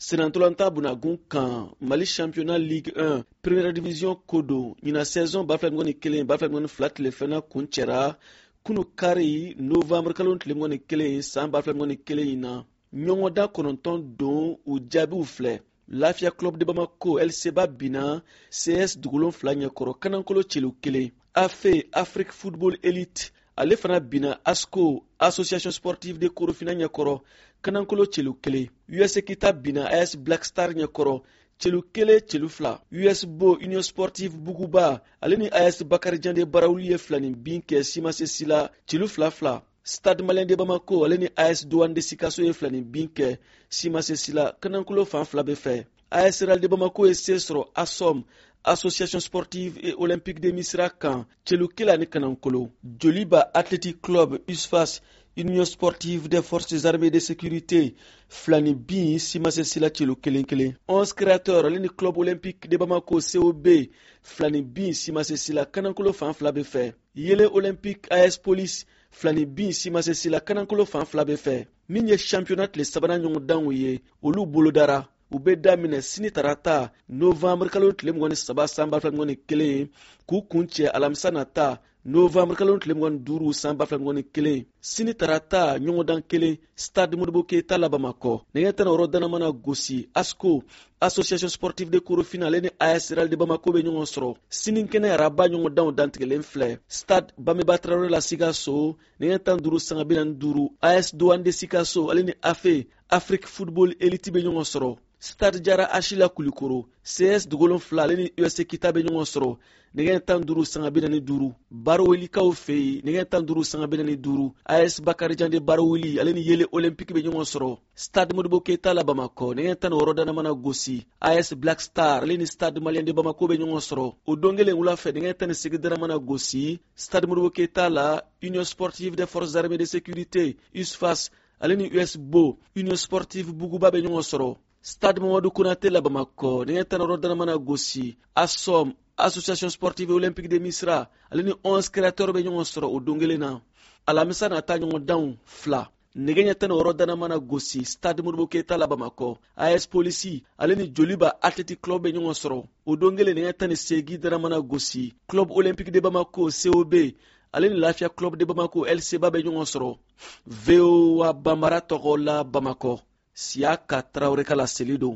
Sennantolatan bunakun kan, Mali championnat Ligue 1 première division ko don. Ɲinan saison 2021 2022 tile filanan kuncɛra kunu kari, novembre kalo tile 21 san 2021 in na. Ɲɔgɔndan 9 don, u jaabiw filɛ: Lafiya Club de Bamako LCB binna CS Dugu Wolonfila ɲɛkɔrɔ kanankolo celu kelen. AFE Afrique Football Elite ale fana binna ASCO Association Sportive de Korofina ɲɛkɔrɔ kanankolo celu kelen. US Kita binna AS Black Star ɲɛkɔrɔ celu kelen celu fila. US Bo Union Sportive Buguba ale ni AS Bakarijan de Barawuli ye filani bin kɛ simase sila celu fila fila. Stade Malien de Bamako ale ni AS Douane de Sikaso ye filani bin kɛ simase sila kanankolo fan fila bɛ fɛ. AS Real de Bamako ye se sɔrɔ ASOM Association Sportive et Olympique de Misira kan celu kelen ani kanankolo. Joliba Athletic Club USFAS Union Sportive des Forces Armées de Sécurité filani bin simase sila celu kelen kelen. 11 Créateurs ale ni Club Olympique de Bamako COB filani bin simase sila kanankolo fan fila bɛ fɛ. Yele Olympique AS Police filani bin simase sila kanankolo fan fila bɛ fɛ. Min ye championnat tile sabanan ɲɔgɔndanw ye, olu bolodara. U bɛ daminɛ sini tarata, novembre kalo tile 23 san 2021, k'u kuncɛ alamisa nata, novembre kalo tile 25 san 2021. Sini tarata, ɲɔgɔndan kelen, Stade Modibo Keyita la Bamakɔ, nɛgɛ 16 dana mana gosi, ASCO Association Sportive de Korofina ale ni AS Real de Bamako bɛ ɲɔgɔn sɔrɔ. Sinikɛnɛ araba ɲɔgɔndanw dantigɛlen filɛ: Stade Banbeba Tarawele la Sikaso, nɛgɛ 15 sanga 45, AS Douane de Sikaso ale ni AFE Afrique Football Elite bɛ ɲɔgɔn sɔrɔ. Stade Jara Asila Kulikoro, CS Dugu Wolonfila ale ni USC Kita bɛ ɲɔgɔn sɔrɔ nɛgɛ 15 sanga 45. Barawelikaw fɛ yen, nɛgɛ 15 sanga 45, AS Bakarijan de Baraweli ale ni Yele Olympique bɛ ɲɔgɔn sɔrɔ. Stade Modibo Keyita la Bamakɔ, nɛgɛ 16 dana mana gosi, AS Black Star ale ni Stade Malien de Bamako bɛ ɲɔgɔn sɔrɔ. O don kelen wula fɛ, nɛgɛ 18 dana mana gosi, Stade Modibo Keyita la, Union Sportive des Forces Armées de Sécurité USFAS ale ni US Bo Union Sportive Buguba bɛ ɲɔgɔn sɔrɔ. Stade Mamadu Konate la Bamakɔ, nɛgɛ 16 dana mana gosi, ASOM Association Sportive Olympique de Misira ale ni 11 Créateurs bɛ ɲɔgɔn sɔrɔ o don kelen na. Alamisa nata ɲɔgɔndanw fila, nɛgɛ ɲɛ 16 dana mana gosi, Stade Modibo Keyita la Bamakɔ, AS Polisi ale ni Joliba Athletic Club bɛ ɲɔgɔn sɔrɔ. O don kelen, nɛgɛ 18 dana mana gosi, Club Olympique de Bamako COB ale ni Lafiya Club de Bamako LCB bɛ ɲɔgɔn sɔrɔ. VOA Banbara tɔgɔ la Bamakɔ, Siyaka Tarawele ka laseli don.